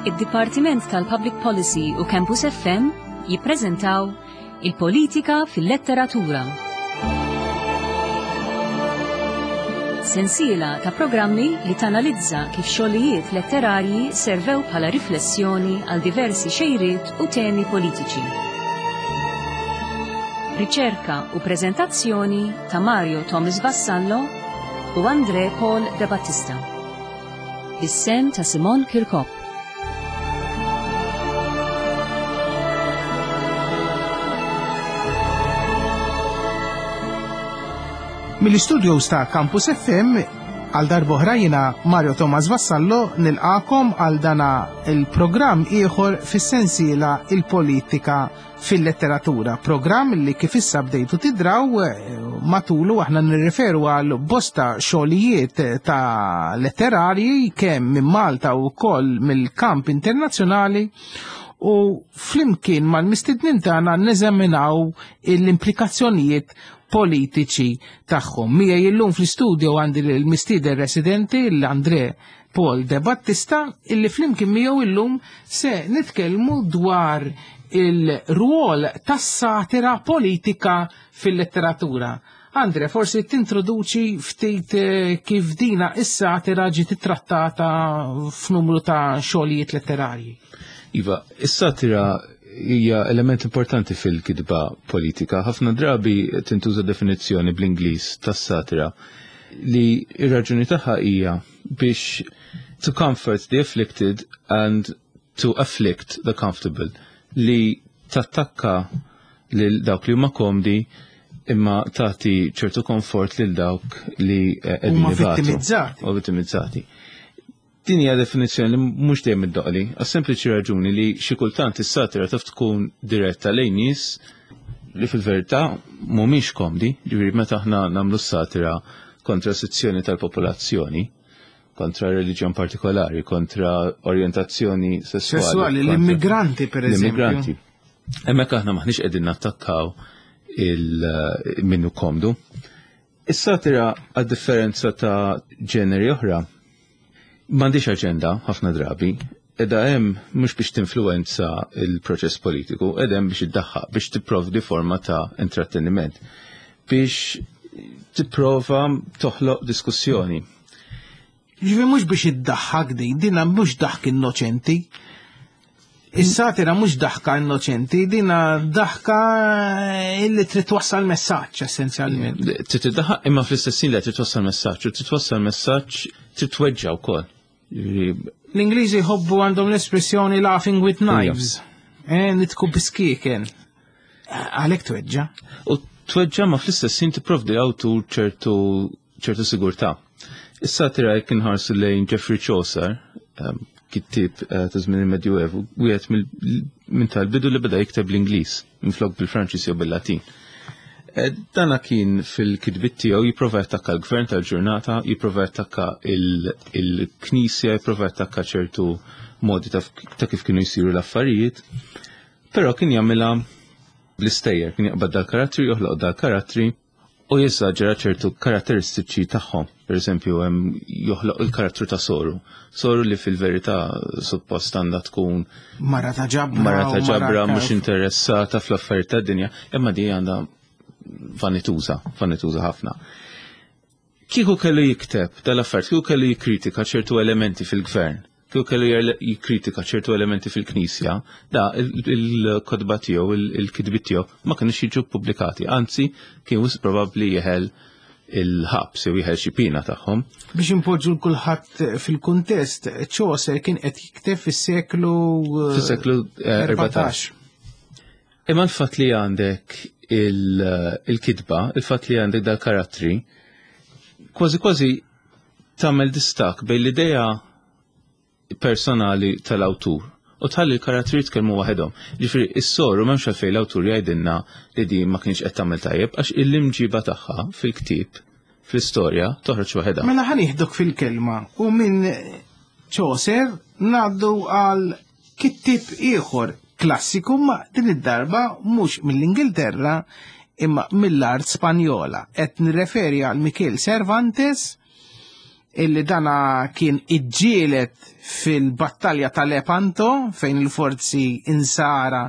Id-Dipartiment tal-Public Policy u Campus FM jippreżentaw Il-Politika fil-Letteratura. Sensiela ta' programmi li tanalizza kif xogħlijiet letterarji servew bħala riflessjoni għal diversi xejriet u temi politiċi. Riċerka u preżentazzjoni ta' Mario Thomas Vassallo u Andre Paul De Battista. Bis-sem ta' Simon Kirkop. Mill-istudios ta' Campus FM għal darboħra jina Mario Thomas Vassallo nilqakom għal dana il-programm ieħor fis-sensiela il-politika fil-letteratura, programm li kif issa bdejtu tidraw eh, matulu aħna nirriferu għal bosta xogħlijiet ta' letterarji kemm minn Malta u wkoll mill-kamp internazzjonali u flimkien mal-mistednin tagħna neżaminaw l-implikazzjonijiet politiċi tagħhom. Miegħi illum fl-istudio għandi l-mistieden residenti l-Andre Paul De Battista illi flimkien miegħu illum se nitkellmu dwar il-rwol tas-satira politika fil-letteratura. Andre, forsi tintroduċi ftit eh, kif dina is-satira ġiet ittrattata f'numru ta' xogħlijiet letterarji. Iva, is-satira hija element importanti fil-kitba politika. Ħafna drabi tintuża definizzjoni bl-Ingliż tas-satira li ir-raġuni tagħha hija biex to comfort the afflicted and to afflict the comfortable li tattakka lil dawk li huma komdi imma tagħti ċertu komfort lil dawk li eh, qegħdin Huma vittimizzati. U vittimizzati. Din hija definizzjoni li mhux dejjem iddoqli, għas-sempliċi raġuni li xi kultant is-satira taf tkun diretta lejn nies li fil-verità mhumiex komdi, ġifieri meta aħna nagħmlu s-satira kontra sezzjoni tal-popolazzjoni, kontra reliġjon partikolari, kontra orjentazzjoni sessuali. Sessuali, l-immigranti per eżempju. L-immigranti. Hemmhekk aħna maħniex qegħdin nattakkaw il-minnu komdu. Is-satira għad-differenza ta' ġeneri oħra m'għandix aġenda ħafna drabi, edha hemm mhux biex tinfluwenza il-proċess politiku, edha hemm biex iddaħħaq, biex tipprovdi forma ta' intratteniment, biex tipprova toħloq diskussjoni. Ġifi mhux biex iddaħħak din, dina mhux daħk innoċenti. Is-satira mhux daħka innoċenti, dina daħka illi trid twassal messaġġ essenzjalment. Trid iddaħħaq imma fl-istess li trid twassal messaġġ u trid twassal messaġġ trid tweġġa' wkoll. L-Ingliżi jħobbu għandhom l-espressjoni laughing with knives. Eh, nitku biskieken. Għalhekk tweġġa. U tweġġa ma fl-istess ħin tipprovdi awtur ċertu ċertu sigurtà. Is-satira jekk inħarsu lejn Geoffrey Chaucer, ehm, kittib eh, ta' żmien il-Medjuevu, wieħed minn tal-bidu li beda jikteb l-Ingliż minflok bil-Franċiż jew bil-Latin. Eh, dana kien fil-kitbit tiegħu jipprova jattakka l-gvern tal-ġurnata, jipprova jattakka il-knisja, jipprova jattakka ċertu modi ta' kif kienu jsiru l-affarijiet, però kien jagħmilha bl-istejjer, kien jaqbad dal-karattri, joħloq dal-karattri u jeżaġera ċertu karatteristiċi tagħhom. Per eżempju, hemm joħloq il-karattru ta' Soru. Soru li fil-verità suppost għandha tkun mara ta' ġabra, mara ta' ġabra mhux interessata fl-affarijiet tad-dinja, imma di għandha vanituża, vanituża ħafna. Kieku kellu jikteb dal-affarijiet, kieku kellu jikkritika ċertu elementi fil-gvern, kieku kellu jikkritika ċertu elementi fil-Knisja, da il-kotba tiegħu, il-kitbiet tiegħu ma kinux jiġu ppubblikati, anzi kien wisq probabbli jeħel il-ħabs jew jeħel xi pina tagħhom. Biex impoġġu l-kulħadd fil-kuntest, Chaucer kien qed jikteb fis-seklu eh, fis-seklu 14. Eh, Imma l-fatt li għandek il-kitba, il-fatt li għandek dal-karattri, kważi kważi tagħmel distak bejn l-idea personali tal-awtur u tħalli l-karattri jitkellmu waħedhom. Ġifieri is-soru m'hemmx għalfejn l-awtur jgħidilna li din ma kienx qed tagħmel tajjeb għax il-imġiba tagħha fil-ktieb fl-istorja toħroġ waħedha. Mela ħa nieħdok fil-kelma u minn Chaucer ngħaddu għal kittieb ieħor klassiku ma din id-darba mhux mill-Ingilterra imma mill-art Spanjola. Qed nirreferi għal Michel Cervantes. illi dana kien iġġielet fil-battalja ta' Lepanto fejn il-forzi insara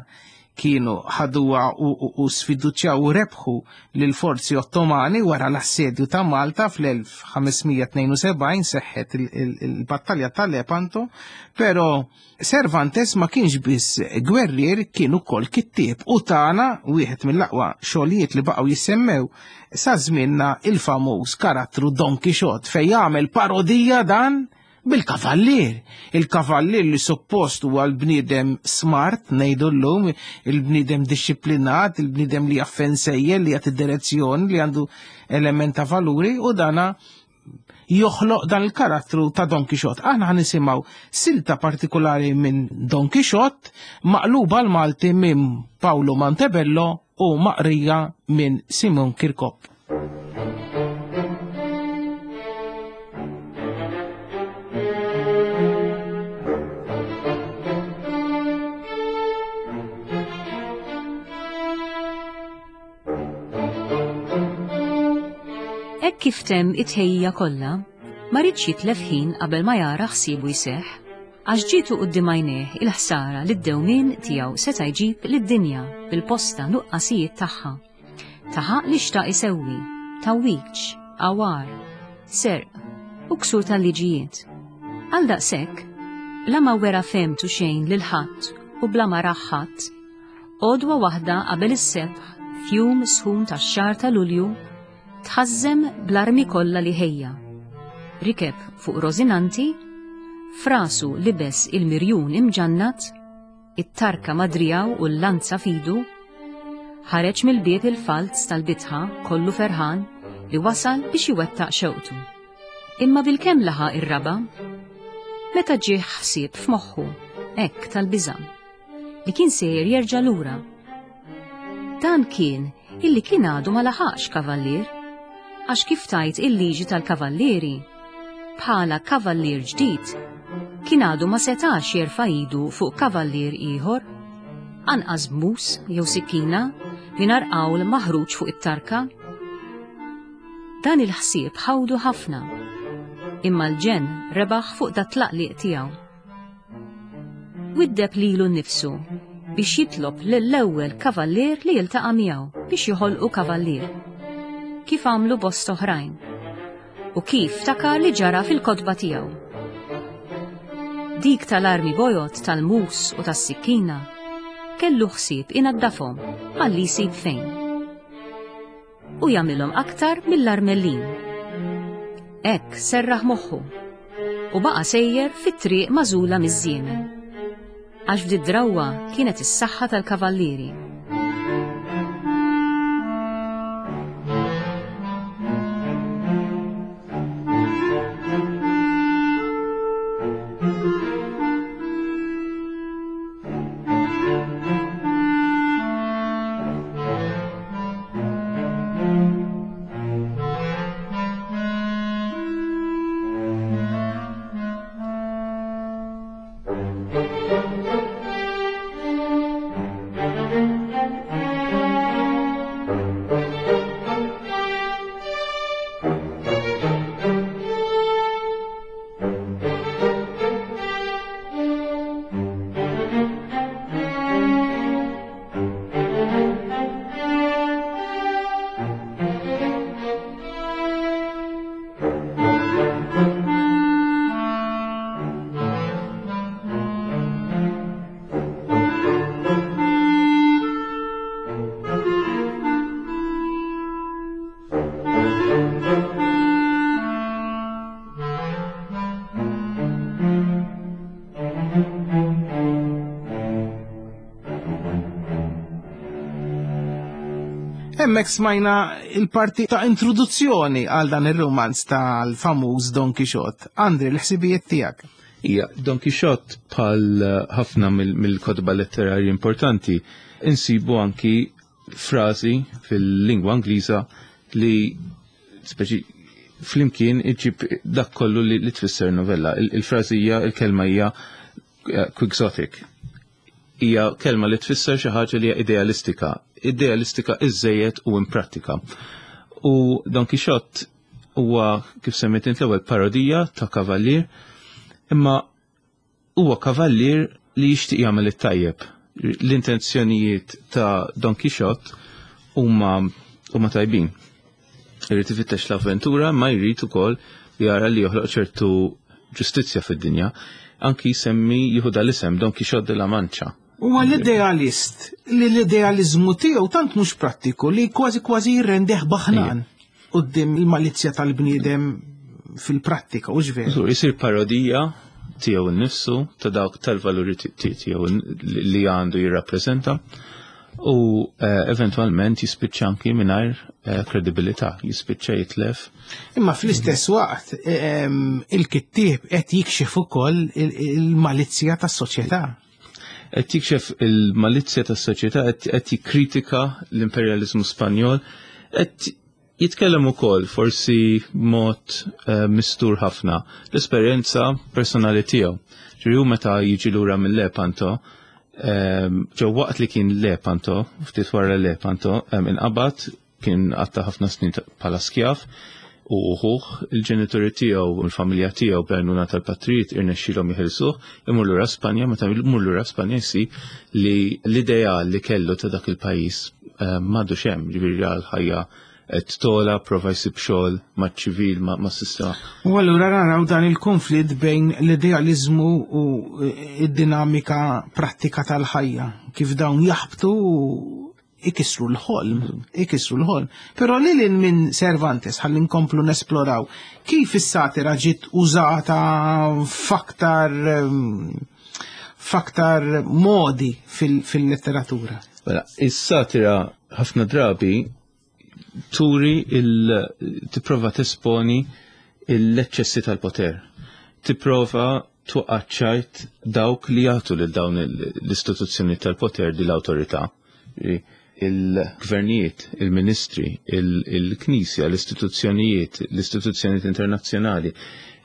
kienu ħaduha u sfiduċjaw u rebħu lil forzi Ottomani wara l-assedju ta' Malta fl-1572 seħħet il-battalja ta' Lepanto, pero Cervantes ma kienx biss gwerrier kien ukoll kittieb u tana wieħed mill-aqwa xogħlijiet li baqgħu jissemmew sa żmienna il-famuż karattru Don Quixote fejn jagħmel parodija dan bil-kavallier. Il-kavallier li suppost huwa l-bniedem smart ngħidu llum, il-bniedem dixxiplinat, il-bniedem li jaffen sejjer, li jagħti direzzjoni, li għandu element ta' valuri u dana joħloq dan il-karattru ta' Don Quixote. Aħna ħan nisimgħu silta partikolari minn Don Quixote maqluba l-Malti minn Paolo Montebello u maqrija minn Simon Kirkop. Hekk kif temm it-tħejjija kollha, ma riedx jitlef ħin qabel ma jara ħsiebu jseħħ, għax ġietu quddiem għajnejh il-ħsara li d-dewmien tiegħu seta' jġib lid-dinja bil-posta nuqqasijiet tagħha. Taħaq li xtaq isewwi, tgħawwiġ, għawar, serq u ksur tal-liġijiet. Għal daqshekk, bla ma wera fehmtu xejn lil ħadd u bla ma rah ħadd, Għodwa waħda qabel is-sebħ, f'jum sħun tax-xahar ta' Lulju, tħażżem bl-armi kollha li ħejja. Rikeb fuq Rosinanti, f'rasu libes il-mirjun imġannat, it-tarka ma' driegħu u l-lanza f'idu, ħareġ mill-bieb il-falz tal-bitħa kollu ferħan li wasal biex iwettaq xewqtu. Imma bilkemm laħaq ir-raba', meta ġieh ħsieb f'moħħu, hekk tal-biża'. li kien sejjer jerġa' lura. Dan kien illi kien għadu ma laħaqx kavallier, għax kif tajt il-liġi tal-kavallieri, bħala kavallier ġdid, kien għadu ma setax jerfa' idu fuq kavallier ieħor, anqas b'mus jew sikkina mingħajr qawl maħruġ fuq it-tarka. Dan il-ħsieb ħawdu ħafna, imma l-ġenn rebaħ fuq dat-tlaqliq tiegħu. Widdeb lilu nnifsu biex jitlob lill-ewwel kavallier li jiltaqa' miegħu biex joħolqu kavallier. Kif għamlu bosta oħrajn. U kif ftakar li ġara fil-kotba tiegħu. Dik tal-armi bojod, tal-mus u tas-sikkina, kellu ħsieb inaddafhom malli jsib fejn. U jagħmilhom aktar mill-armellin. Hekk serraħ moħħu u baqa' sejjer fit-triq magħżula miż-żiemel. Għax f'did-drawwa kienet is-saħħa tal-kavallieri. Hemmhekk smajna il-parti ta' introduzzjoni għal dan ir-romanz tal-famuż Don Quixote. Andri, l-ħsibijiet tiegħek. Ija, Don Quixote bħal ħafna mill-kotba letterarji importanti insibu anki frażi fil-lingwa Ingliża li speċi flimkien iġib dak kollu li, li tfisser novella. Il-frażi hija, il-kelma hija eh, quixotic. Hija kelma li tfisser xi ħaġa li hija idealistika, idealistika iżejjed u imprattika. U Don Quixote Huwa kif semmejt int l-ewwel parodija ta' kavallier, imma huwa kavallier li jixtieq jagħmel it-tajjeb. L-intenzjonijiet ta' Don Quixote huma huma tajbin. Irid ifittex l-avventura ma jrid ukoll jara li joħloq ċertu ġustizzja fid-dinja. Anki jsemmi jieħu dal-isem Don Quixote de la Mancha. Huwa l-idealist li l-idealiżmu tiegħu tant mhux prattiku li kważi kważi jirrendeh baħnan quddiem il-malizzja tal-bniedem fil-prattika, u veru. Jisir parodija tiegħu nnifsu ta' dawk tal-valuri tiegħu li għandu jirrappreżenta u eh, eventwalment jispiċċa anki mingħajr eh, kredibilità, jispiċċa jitlef. Imma fl-istess waqt eh, il-kittieb qed jikxef ukoll il-malizzja tas-soċjetà. Qed jikxef il-malizzja tas-soċjetà, qed jikkritika l-imperjaliżmu Spanjol, qed jitkellem ukoll forsi mod eh, mistur ħafna l-esperjenza personali tiegħu. Ġifieri meta jiġi lura mill-Lepanto, ehm, ġew waqt li kien Lepanto, ftit wara Lepanto, ehm, inqabad kien għatta ħafna snin bħala skjav u uħuħ il-ġenituri tiegħu u l-familja tiegħu b'għajnuna tal-patrijiet irnexxielhom jeħilsuh imur lura Spanja meta imur lura Spanja jsib li l-ideal li kellu ta' dak il-pajjiż eh, m'għadux hemm, ġifieri għal ħajja qed tola, prova jsib xogħol maċ-ċivil, mas-sistema. U allura naraw dan il-konflitt bejn l-idealiżmu u id-dinamika prattika tal-ħajja, kif dawn jaħbtu ikissru l-ħolm, ikissru l-ħolm. Però lil minn Cervantes ħalli nkomplu nesploraw kif is-satira ġiet użata f'aktar ehm, f'aktar modi fil-letteratura. Mela, is-satira ħafna drabi turi il tipprova tesponi l-eċċessi tal-poter. Tipprova twaqqaċċajt dawk li jagħtu lil dawn l-istituzzjoni tal-poter di l-awtorità. Il-gvernijiet, il-ministri, il-knisja, l-istituzzjonijiet, l-istituzzjonijiet internazzjonali,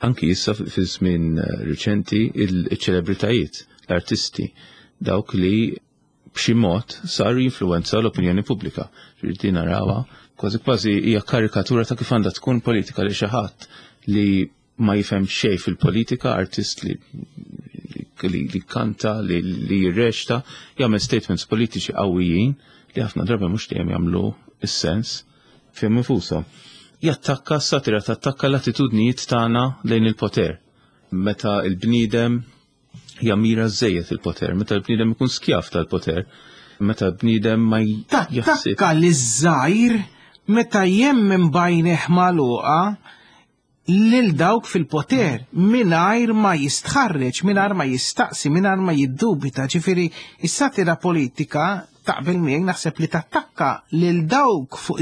anki issa fi żmien riċenti il-ċelebritajiet, l-artisti, dawk li b'xi mod saru jinfluwenzaw l-opinjoni pubblika. Ġifieri narawha kważi kważi hija karikatura ta' kif għandha tkun politika li xi ħadd li ma jifhem xejn fil-politika, artist li li, li kanta, li, li jirreċta, jagħmel statements politiċi qawwijin li ħafna drabi mhux dejjem jagħmlu is-sens fihom infushom. Jattakka s-satira tattakka l-attitudnijiet tagħna lejn il-poter. Meta il-bniedem jammira żejjed il-poter, meta l-bniedem ikun skjav tal-poter, meta l-bniedem ma jaħsib. Tattakka li żgħir meta jemmen bajneħ magħluqa lil dawk fil-poter mingħajr ma jistħarreġ, mingħajr ma jistaqsi, mingħajr ma jiddubita. Ġifieri is-satira politika taqbel miegħi naħseb li tattakka lil dawk fuq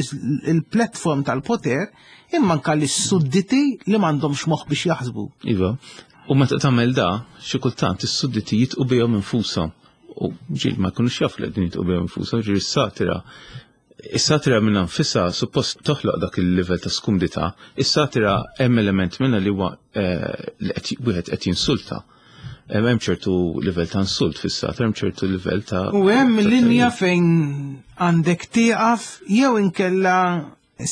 il-platform tal-poter imma anka lis-sudditi li m'għandhomx moħħ biex jaħsbu. Iva, u meta tagħmel da, xi kultant is-sudditi jitqu bihom infushom. U ġil ma jkunux jafu li qegħdin jitqu bihom infushom, ġieli s-satira Is-satira minn nfisha suppost toħloq dak il-livell ta' skumdità. Is-satira hemm element minnha li huwa eh, li wieħed qed jinsulta. Hemm ċertu livell ta' insult fis-satira, hemm ċertu livell ta' U hemm linja fejn għandek tieqaf jew inkella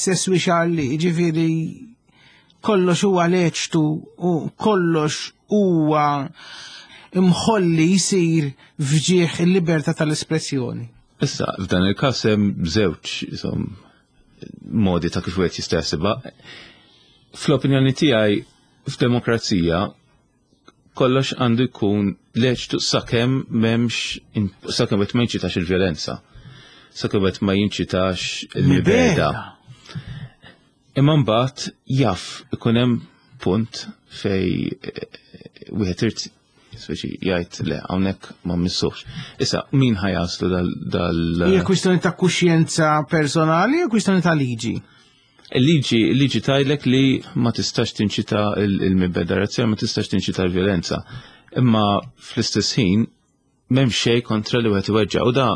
seswi xarli, ġifieri kollox huwa leċtu u kollox huwa imħolli jsir fġieħ il-libertà tal-espressjoni. Issa, f'dan il-każ hemm żewġ modi ta' kif wieħed jista' jaħsibha. Fl-opinjoni tiegħi f'demokrazija kollox għandu jkun leċtu sakemm m'hemmx sakemm qed ma jinċitax il-vjolenza. Sakemm qed ma jinċitax il-mibeda. Imma mbagħad jaf ikun hemm punt fej eh, wieħed irid speċi jgħid le hawnhekk ma missux. Issa min ħajaslu dal dal Hija kwistjoni ta' kuxjenza personali jew kwistjoni ta' liġi? Il-liġi il-liġi tajlek li ma tistax tinċita il-mibeda razzjali, ma tistax tinċita l-vjolenza. Imma fl-istess ħin m'hemm xejn kontra li wieħed iweġġa' u da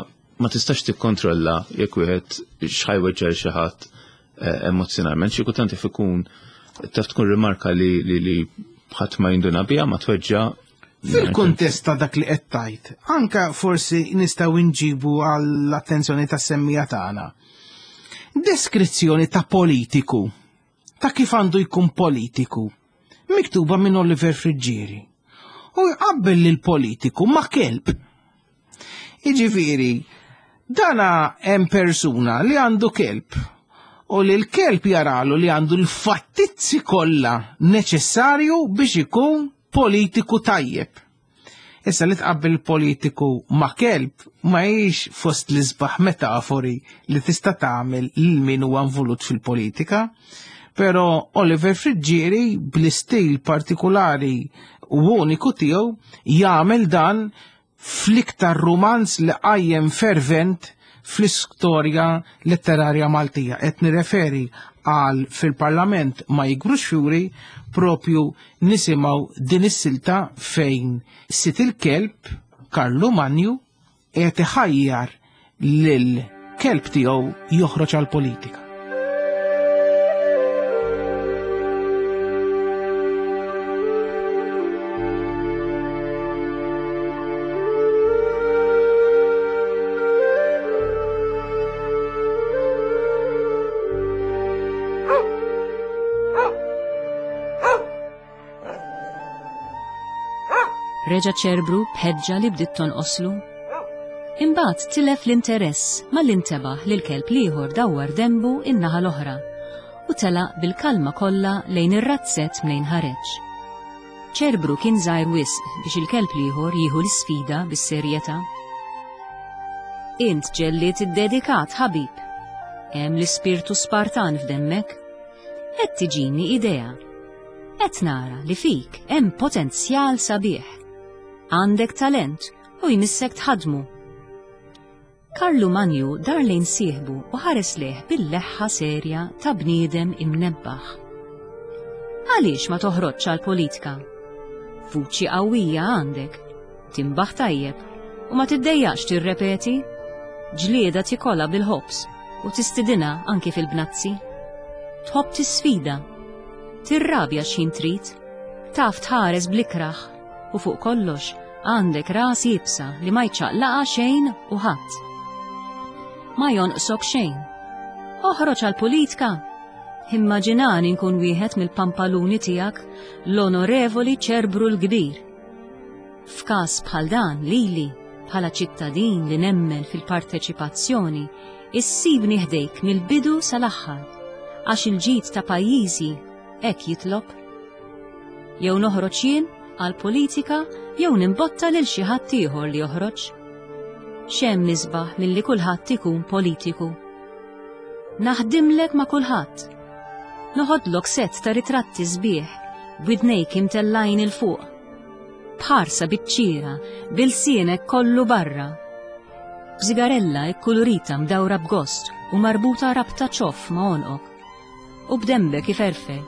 ma tistax tikkontrolla jekk wieħed x'ħajweġġa' lil xi ħadd eh, emozjonalment. Xi kultant jaf ikun taf tkun rimarka li li, li ħadd ma jinduna biha ma tweġġa' Fil-kuntest ta' dak li qed tgħid, anka forsi nistgħu nġibu għall-attenzjoni tas-semmija tagħna. Deskrizzjoni ta' politiku. ta' kif għandu jkun politiku, miktuba minn Oliver Friggieri. U jqabbel lil politiku ma' kelb. Jiġifieri, dana hemm persuna li għandu kelb u li l-kelb jaralu li għandu l-fattizzi kollha neċessarju biex ikun politiku tajjeb. Issa li tqabbel politiku ma' kelb ma hijiex fost l-isbaħ metafori li tista' tagħmel lil min huwa involut fil-politika. Però Oliver Friggieri bl-istil partikulari u uniku tiegħu jagħmel dan fl-iktar rumanz li qajjem fervent fl-istorja letterarja Maltija. Qed nirreferi għal fil-Parlament ma jikbrux fjuri propju nisimgħu din is-silta fejn sit il-kelb Karlu Manju qed iħajjar lil kelb tiegħu joħroġ għal politika. Reġa' ċerbru b'ħeġġa li bdiet tonqoslu. Imbagħad tilef l-interess malli ntebaħ li l-kelb l-ieħor dawwar denbu in-naħa l-oħra u telaq bil-kalma kollha lejn ir-razzett mnejn ħareġ. Ċerbru kien żgħir wisq biex il-kelb l-ieħor jieħu l-isfida bis-serjetà. Int ġellied iddedikat, ħabib. Hemm l-ispirtu Spartan f'demmek. Qed tiġini idea. Qed nara li fik hemm potenzjal sabiħ. Għandek talent u jmissek tħaddmu. Karlu Manju dar lejn sieħbu u ħares lejh bil-leħħa serja ta' bniedem imnebbaħ. Għaliex ma toħroġx għall-politika? Vuċi qawwija għandek, tinbaħ tajjeb u ma tiddejjaqx tirrepeti. Ġlieda tikolha bil-ħobż u tistidinha anki fil-bnazzi. Tħobb tisfida. Tirrabja x'ħin trid. Taf tħares bl-ikrah u fuq kollox għandek ras iebsa li ma jċaqlaqha xejn u ħadd. Ma jonqsok xejn. Oħroġ għall-politka! Immaġinani nkun wieħed mill-pampaluni tiegħek, l-Onorevoli Ċerbru l-Kbir. F'każ bħal dan lili, bħala ċittadin li nemmen fil-parteċipazzjoni, issibni ħdejk mill-bidu sal-aħħar, għax il-ġid ta' pajjiżi hekk jitlob. Jew noħroġ jien għall-politika jew nimbotta lil xi ħadd ieħor li joħroġ. X'hemm isbaħ milli kulħadd ikun politiku? Naħdimlek ma' kulħadd. Noħodlok sett ta' ritratti sbieħ b'widnejk imtellgħin 'il fuq. B'ħarsa biċ-ċiera, b'ilsienek kollu barra. B'sigarella kkulurita mdawra b'gost u marbuta rabta ċoff ma' għonqok. U b'denbek iferfer.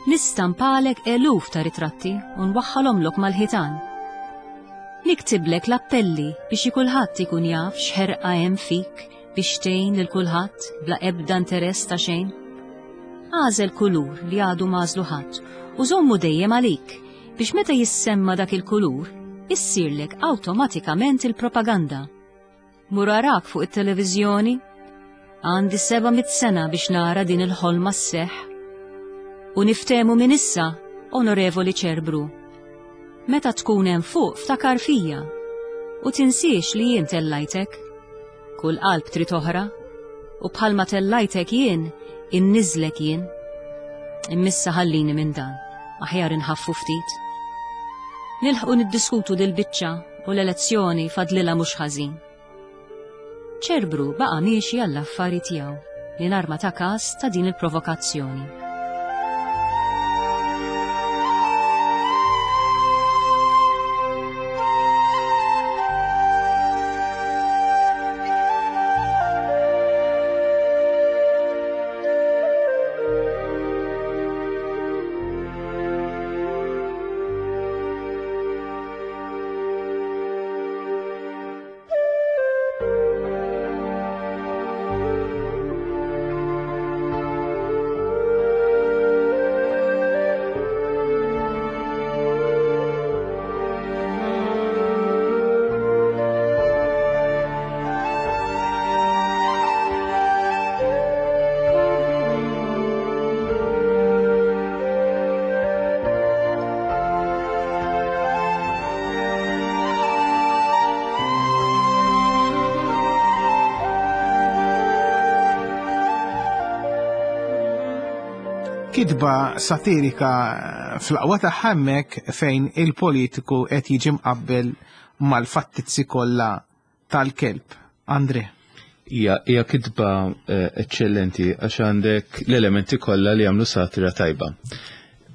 Nistampalek eluf ta' ritratti u nwaħħalhomlok mal-ħitan. Niktiblek l-appelli biex kulħadd ikun jaf x'ħerqa hemm fik biex tgħin lil kulħadd bla ebda interess ta' xejn. Agħżel kulur li għadu m'għażlu ħadd u żommu dejjem għalik biex meta jissemma dak il-kulur issirlek awtomatikament il-propaganda. Mur arak fuq it-televiżjoni. Għandi 700 sena biex nara din il-ħolma sseħħ. U niftehmu minn issa, Onorevoli Ċerbru. Meta tkun hemm fuq ftakar fija. U tinsiex li jien tellajtek. Kull qalb trid oħra. U bħalma tellajtek jien, inniżlek jien. Immissa ħallini minn dan, aħjar inħaffu ftit. Nilħqu niddiskutu dil-biċċa u l-elezzjoni fadlilha mhux ħażin. Ċerbru baqa' miexi għall-affari tiegħu mingħajr ma ta każ ta' din il-provokazzjoni. Kitba satirika fl-aqwa tagħha hemmhekk fejn il-politiku qed jiġi mqabbel mal-fattizzi kollha tal-kelb. Andre. Hija kitba eċċellenti għax għandek l-elementi kollha li jagħmlu satira tajba.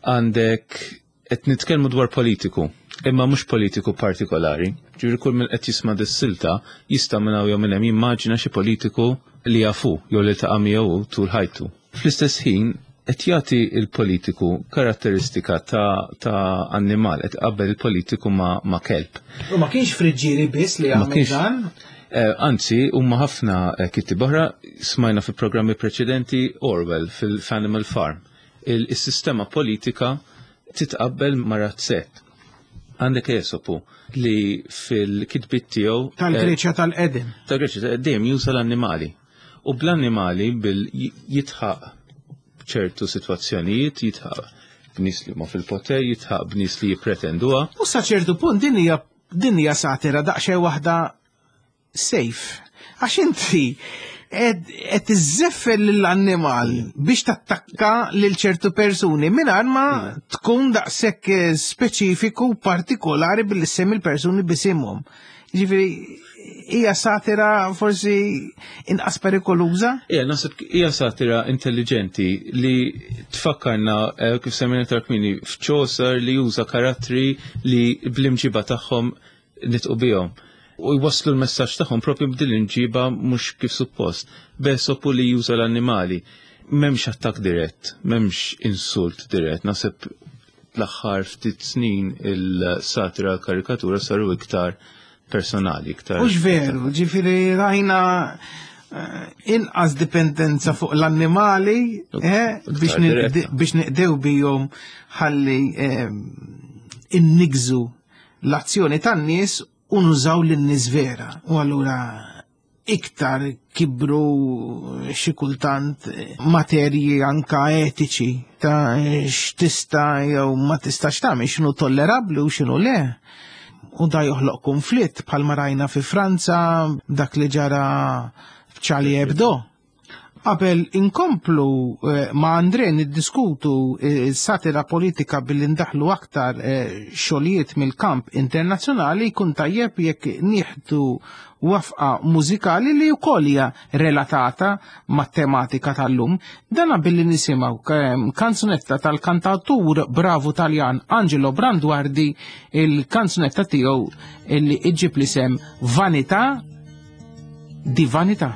Għandek qed nitkellmu dwar politiku, imma mhux politiku partikolari. Ġifieri kull min qed jisma' dis-silta jista' minn hawn jew minn hemm jimmaġina xi politiku li jafu jew li ltaqa' miegħu tul ħajtu. Fl-istess ħin qed jagħti l-politiku karatteristika ta', ta annimal, qed qabel il-politiku ma, ma kelb. U ma kienx friġġieri biss li għamel dan? Eh, anzi, huma ħafna eh, kittieb oħra smajna fi programmi preċedenti Orwell fil-Animal Farm. Il-sistema politika titqabbel ma' razzett. Għandek Esopu li fil-kitbit tiegħu tal-Greċja eh, tal-qedem. Tal-Greċja tal-qedem juża l-annimali. U bl-annimali bil jitħaq ċertu sitwazzjonijiet, jitħaq b'nies li huma fil-poter, jitħaq b'nies li jippretenduha. U sa ċertu punt din hija din hija satira daqsxejn waħda safe. Għax inti qed iżżeffel lill-annimal biex tattakka lil ċertu persuni mingħajr ma tkun daqshekk eh, speċifiku partikolari billi semmi l-persuni bisimhom. Ġifieri hija satira forsi inqas perikoluża? Ija, naħseb hija satira intelligenti li tfakkarna eh, kif semmejna tarkmini f'Chaucer li juża karattri li bl-imġiba tagħhom nitqu bihom u jwasslu l-messaġġ tagħhom propju b'din l-imġiba mhux kif suppost. Besopu li juża l-annimali. M'hemmx attakk dirett, m'hemmx insult dirett. Naħseb l-aħħar ftit snin il-satira l-karikatura saru iktar personali, iktar. Mhux veru, ġifieri rajna eh, inqas dipendenza fuq l-annimali eh, biex niqdew bihom ħalli eh, innigżu l-azzjoni tan-nies u nużaw lin-nies vera. U allura iktar kibru xi kultant materji anka etiċi ta' x'tista' jew ma tistax tagħmel x'inhu tollerabbli u x'inhu le. U da joħloq konflitt bħalma rajna fi Franza dak li ġara f'Charlie Hebdo. Qabel inkomplu eh, ma' Andre niddiskutu eh, satira politika billi ndaħlu aktar eh, xogħlijiet mill-kamp internazzjonali jkun tajjeb jekk nieħdu wafqa mużikali li wkoll hija relatata mat-tematika tal-lum. Dana billi nisimgħu kanzunetta tal-kantatur bravu Taljan Angelo Branduardi il-kanzunetta tiegħu li iġġib l-isem Vanità di vanità.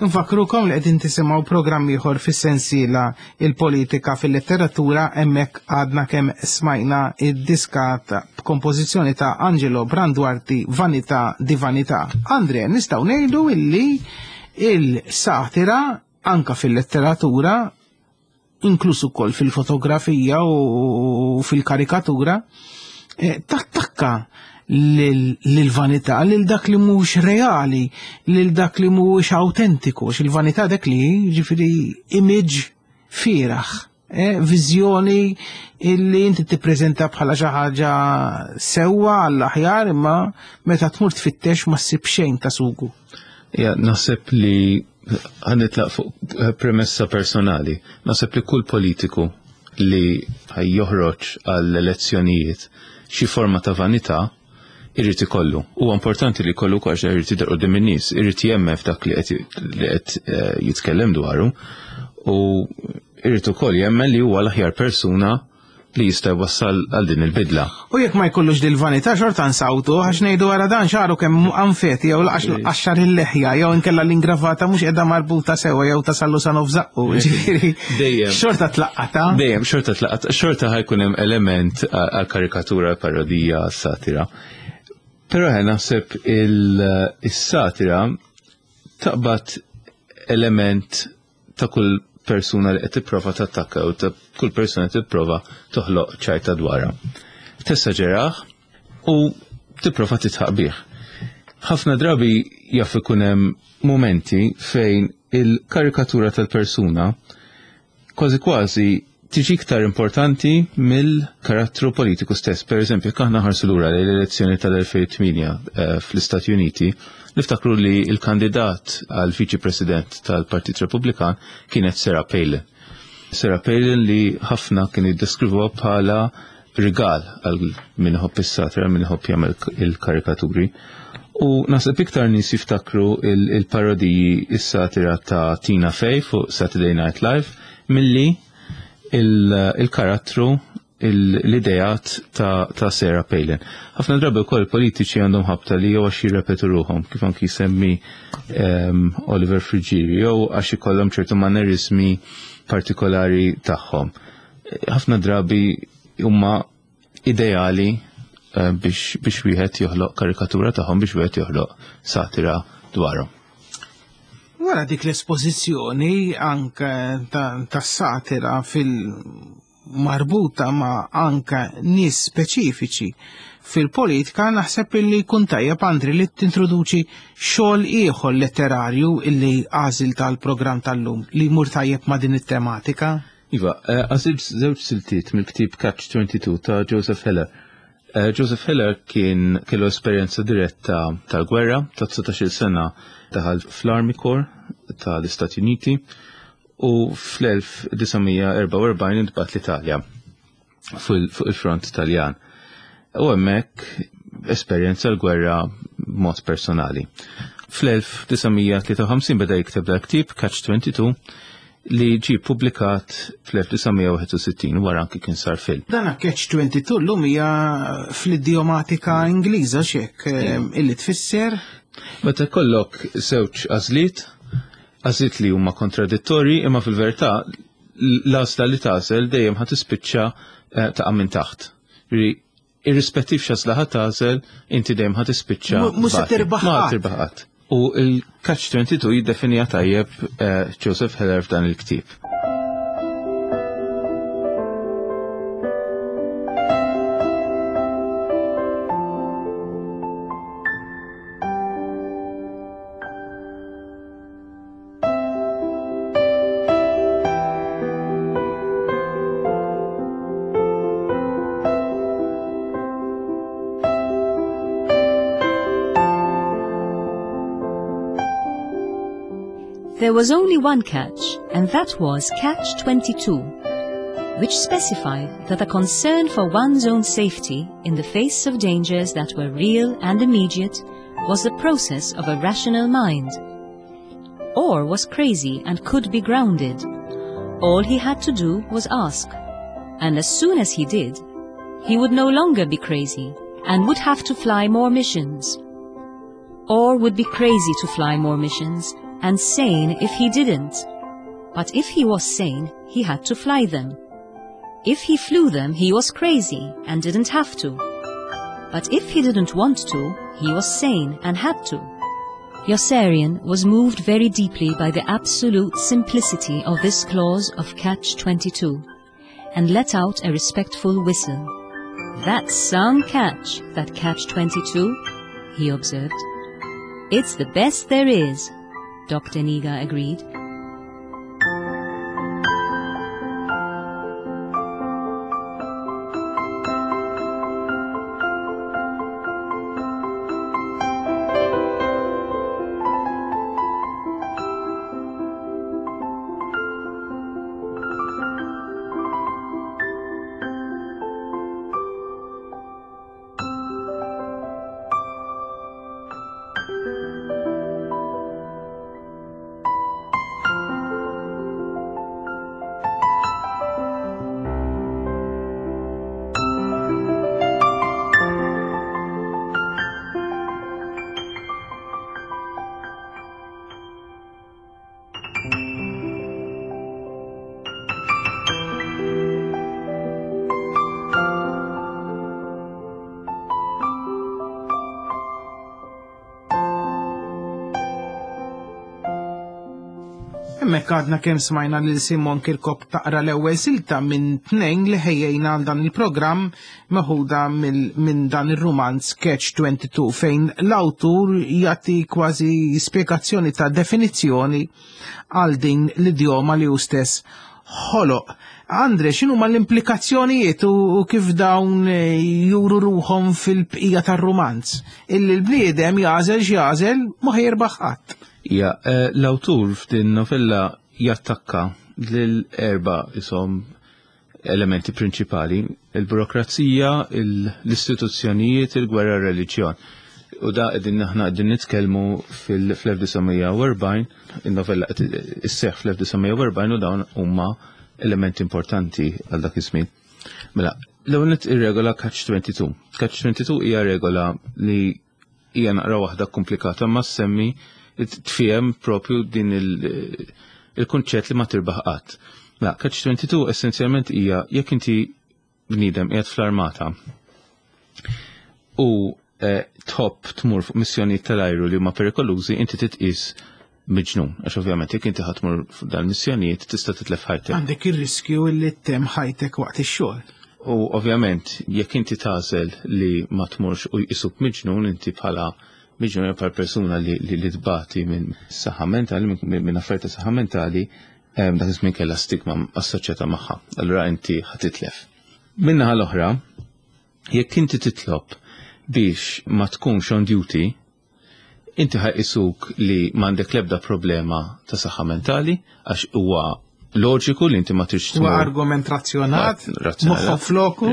Nfakrukom li qegħdin tisimgħu programm ieħor fis-sensiela il-politika fil-letteratura hemmhekk għadna kemm smajna id-diska b'kompożizzjoni ta' Angelo Branduardi Vanità di Vanità. Andre, nistgħu ngħidu illi il-satira anka fil-letteratura inkluż ukoll fil-fotografija u fil-karikatura, eh, tattakka lil-vanità, lil dak li mhux reali, lil dak li mhuwiex autentiku, il-vanità dak li ġifieri image fieraħ, eh, viżjoni illi inti tippreżenta bħala xi ħaġa sewwa għall-aħjar imma meta tmur tfittex ma ssib xejn ta' sugu. Ja, naħseb li ħanitlaq fuq eh, premessa personali. Naħseb li kull politiku li joħroġ għall-elezzjonijiet xi forma ta' vanità irrid ikollu. Huwa importanti li jkollu għax irid jidher quddiem in-nies, irid jemmen f'dak li qed eh, jitkellem dwaru u irid ukoll jemmen li huwa l-aħjar persuna li jista' jwassal għal din il-bidla. U jekk ma jkollux dil-vanità xorta nsawtu għax ngħidu wara dan xaru kemm anfeti jew laqax qaxxar il-leħja jew inkella l-ingravata mhux qiegħda marbuta sewwa jew tasallu sa nofs żaqqu, ġifieri. Dejjem. Xorta tlaqqata. Dejjem xorta tlaqqata, xorta ħajkun hemm element għal karikatura, parodija, satira. Però ħe naħseb il-satira taqbad element ta' kull persuna li qed tipprova tattakka u ta' kull persuna li tipprova toħloq ċajta dwarha. Tessaġerah u tipprova titħaq bih. Ħafna drabi jaf ikun hemm mumenti fejn il-karikatura tal-persuna kważi kważi tiġi iktar importanti mill-karattru politiku stess. Per eżempju, jekk aħna ħarsu lura l-elezzjoni tal-2008 eh, fl-Istati Uniti, niftakru li il-kandidat għal viċi president tal-Partit Repubblikan kienet Sarah Palin. Sarah Palin li ħafna kienu jiddeskrivuha bħala rigal għal min iħobb is-satira, min iħobb jagħmel il-karikaturi. U naħseb iktar nies jiftakru il-parodiji is-satira ta' Tina Fey fuq Saturday Night Live milli il-karattru l-idejat ta', ta Sarah Palin. Ħafna drabi wkoll politiċi għandhom ħabta li jew għax jirrepetu ruħhom, kif anki jsemmi um, Oliver Friggieri, jew għax ikollhom ċertu mannerismi partikolari tagħhom. Ħafna drabi huma ideali eh, biex, biex wieħed joħloq karikatura tagħhom biex wieħed joħloq satira dwarhom. Wara dik l-espożizzjoni anke tas-satira fil-marbuta ma' anke nies speċifiċi fil-politika naħseb illi jkun tajjeb Andri li tintroduċi xogħol ieħor letterarju illi għażil tal-programm tal-lum li jmur tajjeb ma' din it-tematika. Iva, eh, għażilt żewġ siltiet mill-ktieb Catch 22 ta' Joseph Heller. Eh, Joseph Heller kien kellu esperjenza diretta tal-gwerra ta' 19 sena daħal fl-Army Corps tal-Istati Uniti u fl-1944 intbat l-Italja fuq il-front Taljan. U hemmhekk esperjenza l-gwerra b'mod personali. Fl-1953 beda jikteb dal-ktieb Catch 22 li ġie publikat fl-1961 wara anki kien sar film. Dan Catch 22 llum hija fl-idjomatika Ingliża xek eh, illi tfisser. Meta kollok żewġ għażliet, għażliet li huma kontradittorji imma fil-verità l-għażla li tagħżel dejjem ħa tispiċċa eh, taqa' minn taħt. Irrispettiv x'għażla ħa tagħżel, inti dejjem ħa tispiċċa. Mhux se tirbaħ. Ma tirbaħ qatt. U il-Catch 22 jiddefinija tajjeb eh, Joseph Heller f'dan il-ktieb. There was only one catch, and that was Catch 22, which specified that a concern for one's own safety in the face of dangers that were real and immediate was the process of a rational mind or was crazy and could be grounded. All he had to do was ask. And as soon as he did, he would no longer be crazy and would have to fly more missions. Or would be crazy to fly more missions and sane if he didn't. But if he was sane, he had to fly them. If he flew them, he was crazy and didn't have to. But if he didn't want to, he was sane and had to. Yossarian was moved very deeply by the absolute simplicity of this clause of Catch 22 and let out a respectful whistle. That's some catch, that Catch 22, he observed. It's the best there is, Dr. Niga agreed. Hemmhekk għadna kemm smajna lil Simon Kirkop taqra l-ewwel silta minn tnejn li ħejjejna għal dan il-programm meħuda minn dan ir-rumanz Catch 22 fejn l-awtur jagħti kważi spjegazzjoni ta' definizzjoni għal din l-idjoma li hu stess ħoloq. Andre, x'inhu ma l-implikazzjonijiet u kif dawn eh, juru ruħhom fil-bqija tar-rumanz? Illi l-bniedem jażel x'jażel ma ħajrbaħ qatt. Ja, eh, l-awtur f'din novella jattakka lil erba isom elementi prinċipali, il-burokrazija, l-istituzzjonijiet, il-gwerra reliġjon. U da qegħdin aħna qegħdin nitkellmu fil-1940, in-novella qed isseħħ fl-1940 u dawn huma elementi importanti għal dak iż-żmien. Mela, l-ewwel ir-regola Catch 22. Catch 22 hija regola li hija naqra waħda komplikata ma semmi tfiem propju din il-kunċett li ma tirbaħ qatt. Mela, Catch 22 essenzjalment hija jekk inti bniedem qiegħed fl-armata u eh, tħobb tmur fuq missjonijiet tal-ajru li huma perikolużi, inti titqis miġnun. Għax ovvjament jekk inti ħatmur fuq dan missjonijiet tista' titlef ħajtek. Għandek ir-riskju li ttemm ħajtek waqt ix-xogħol. U ovvjament jekk inti tagħżel li ma tmurx u jqisuk miġnun inti bħala miġnun jew bħala persuna li, li, li tbati minn saħħa mentali, minn affarijiet ta' saħħa mentali, dak iż-żmien kellha stigma assoċjata magħha. Allura inti ħatitlef. Min-naħa l-oħra, jekk inti titlob biex ma tkunx on duty, inti ħajqisuk li m'għandek l-ebda problema ta' saħħa mentali għax huwa loġiku li inti ma tridx Huwa argument razzjonat, moħħok floku.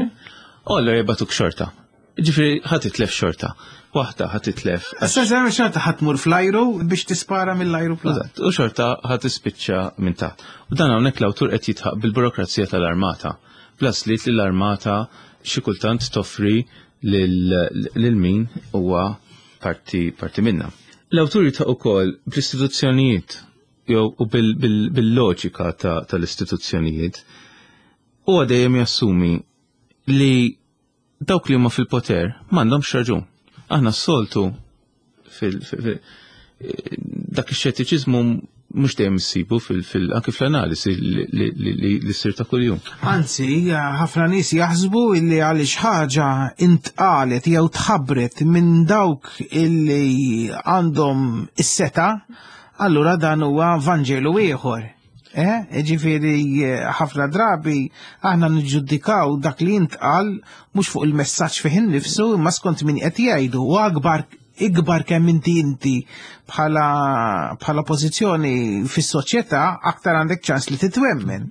U allura jibgħatuk xorta. Ġifieri ħa titlef xorta. Waħda ħa titlef. Issa xorta ħa tmur fl-ajru biex tispara mill-ajruplan. Eżatt, u xorta ħa tispiċċa minn taħt. U dan hawnhekk l-awtur qed jitħaq bil-burokrazija tal-armata. Bl-għażliet li l-armata xi kultant toffri lil min huwa parti, parti minna. L-awtur jitħaq ukoll bl-istituzzjonijiet jew u bil-loġika tal-istituzzjonijiet. Huwa dejjem jassumi li dawk li huma fil-poter m'għandhomx raġun. Aħna s-soltu fil dak ix-xettiċiżmu mhux dejjem issibu anke fl-analisi li ssir ta' kuljum. Anzi, ħafna nies jaħsbu illi għaliex ħaġa intqalet jew tħabbret minn dawk illi għandhom is-seta, allura dan huwa Vanġelu ieħor. Eh, ġifieri ħafna drabi aħna niġġudikaw dak li jintqal mhux fuq il-messaġġ fih innifsu imma skont min qed jgħidu u akbar ikbar kemm inti inti bħala bħala pożizzjoni fis-soċjetà aktar għandek ċans li titwemmen.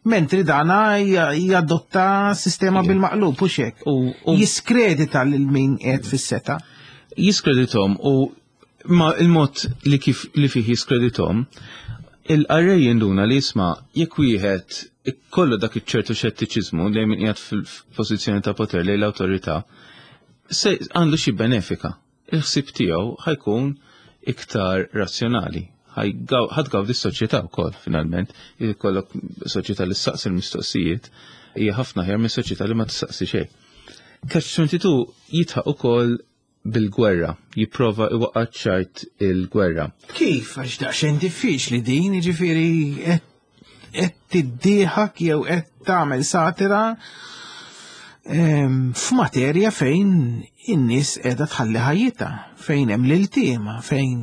Mentri dana jadotta sistema bil-maqlub u xek. U jiskredita lil min qed fis-seta. Jiskreditom u ma il-mod li kif li fih jiskreditom, il-qarrej jinduna li jisma' jekk wieħed kollu dak iċ-ċertu xettiċiżmu li min qiegħed fil-pożizzjoni ta' poter lejn l-awtorità, se għandu xi benefika. Il-ħsieb tiegħu ħajkun iktar razzjonali. Ħa tgawdi s-soċjetà wkoll finalment, jkollok soċjetà li ssaqsi l-mistoqsijiet hija ħafna aħjar minn soċjetà li ma tistaqsi xejn. Catch 22 jidħaq ukoll bil-gwerra, jipprova iwaqqa' ċajt il-gwerra. Kif? Għax daqsxejn diffiċli din, jiġifieri qed tiddieħak jew qed tagħmel satira ehm, f'materja fejn in-nies qiegħda tħalli ħajjitha, fejn hemm l-iltiema, fejn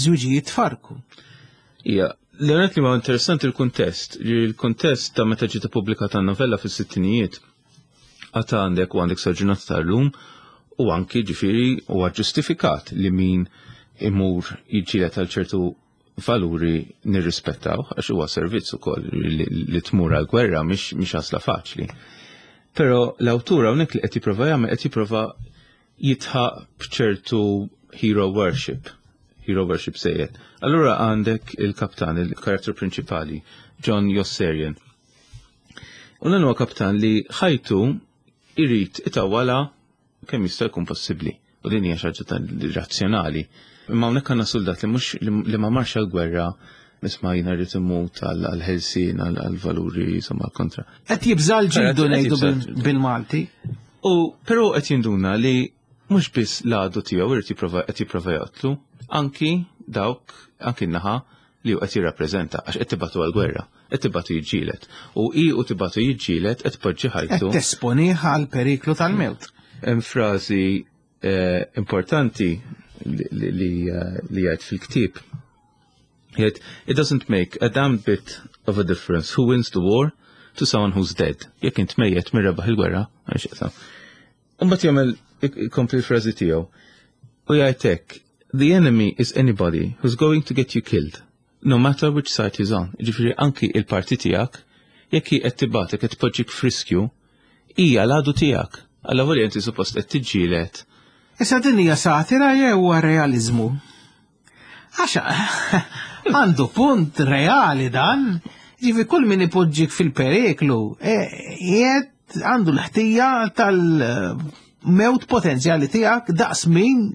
żwiġijiet farku. Ija, l-għanet li ma interessanti l-kuntest, li l-kuntest ta' meta ġiet ippubblikata n-novella fis-sittinijiet, għata għandek u għandek saġunat tal-lum u anki ġifiri huwa ġustifikat li min imur jiġġieled għal ċertu valuri nirrispettaw għax huwa servizz ukoll li tmur għal gwerra mhix għażla faċli. Però l-awtur hawnhekk li qed jipprova jagħmel qed jipprova jitħaq b'ċertu hero worship. Hero worship sejjed. Allura għandek il-kaptan, il-karattru prinċipali, John Yossarian. U dan huwa kaptan li ħajtu irid itawwala kemm jista' jkun possibbli. U din hija xi ħaġa razzjonali. Imma hawnhekk għandna soldat li mhux li ma marx għall-gwerra isma' jiena rrid immut għall-ħelsien għall-valuri insomma kontra. Qed jibża' l-ġildu ngħidu bil-Malti. U però qed jinduna li mhux biss l-għadu tiegħu irid jipprova qed jipprova joqtlu, anki dawk anki n-naħa li hu qed jirrappreżenta għax qed tibgħatu għall-gwerra, qed tibgħatu jiġġieled. U hi u tibgħatu jiġġieled qed tpoġġi ħajtu. Qed tesponih għal periklu tal-mewt. Hemm frażi eh, importanti li eh, jgħid fil-ktieb. Jgħid, it doesn't make a damn bit of a difference who wins the war to someone who's dead. Jekk int mejjet min rebaħ il-gwerra, għax Imbagħad jagħmel ikompli l-frażi tiegħu u jgħid hekk, The enemy is anybody who's going to get you killed, no matter which side he's on. Ġifieri anki il-parti tiegħek, jekk hi qed tibgħatek qed tpoġġik f'riskju, hija l-għadu tiegħek. Alla volja inti suppost qed tiġġieled. Issa din hija satira jew huwa realiżmu? Għax għandu punt reali dan, ġifi kull min ipoġġik fil-periklu, e, jiet għandu l-ħtija tal-mewt potenzjali tiegħek daqs min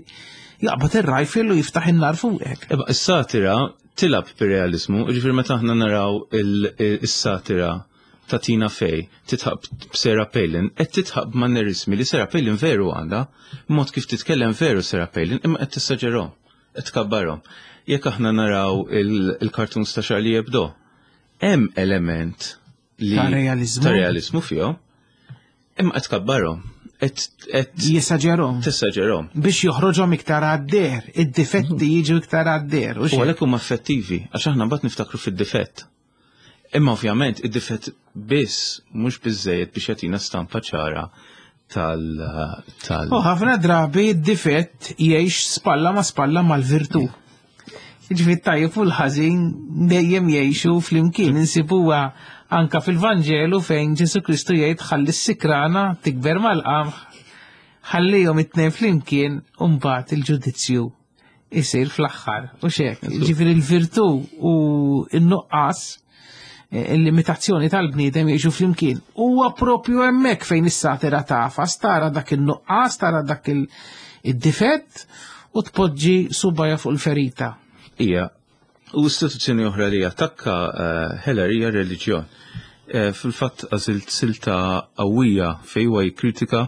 jaqbad ir-rifle u jiftaħ in-nar fuqek. Eba, is-satira tilab bir-realizmu, ġifieri meta aħna naraw is-satira ta' Tina Fey titħaq b'Sarah Palin, qed titħaq b'mannerizmi li Sarah Palin veru għandha, mod kif titkellem veru Sarah Palin, imma qed tessaġerhom, qed tkabbarhom. Jekk aħna naraw il-cartoons ta' Charlie Hebdo, hemm element li ta' realizmu, ta' realizmu fihom, imma qed tkabbarhom. Qed jesaġerhom. Tessaġerhom. Biex joħroġhom iktar għad-der, id-difetti jiġu iktar għad-der. U għalhekk huma effettivi, għax aħna mbagħad niftakru fid-difett. Imma ovvjament id-difett biss mhux biżejjed biex jagħtina stampa ċara tal tal U ħafna drabi d-difett jgħix spalla ma spalla mal-virtù. Ġifieri tajjeb u l-ħażin dejjem jgħixu flimkien insibuha anka fil-Vanġelu fejn Ġesu Kristu jgħid ħalli s-sikrana tikber mal-qamħ ħallihom it-tnejn flimkien u mbagħad il-ġudizzju isir fl-aħħar. U xek, ġifieri l-virtù u n-nuqqas eh, il-limitazzjoni tal-bniedem jgħixu flimkien. Huwa propju hemmhekk fejn is-satira tafas, tara dak in-nuqqas, tara dak il-difett u tpoġġi subaja fuq il-ferita. Ija, u istituzzjoni oħra li attakka eh, Heller hija reliġjon. Eh, fil-fatt għażilt silta qawwija fejn huwa jikkritika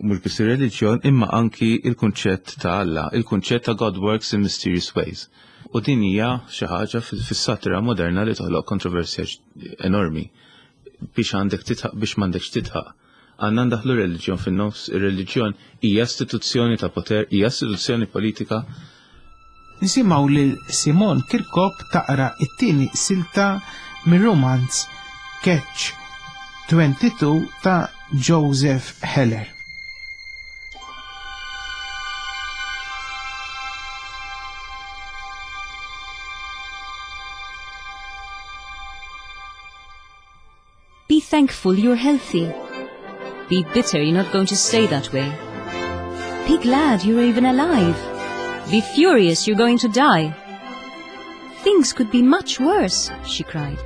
mhux biss ir-reliġjon imma anki il-kunċett ta' Alla, il-kunċett ta' God works in mysterious ways. U din hija xi ħaġa fis-satira moderna li toħloq kontroversja enormi biex għandek titħaq biex m'għandekx titħaq. Għandna ndaħlu reliġjon fin-nofs, ir-reliġjon hija istituzzjoni ta' poter, hija istituzzjoni politika. Nisimgħu lil Simon Kirkop taqra t-tieni silta mir-rumanz Catch 22 ta' Joseph Heller. Be thankful you're healthy. Be bitter you're not going to stay that way. Be glad you're even alive. Be furious you're going to die. Things could be much worse, she cried.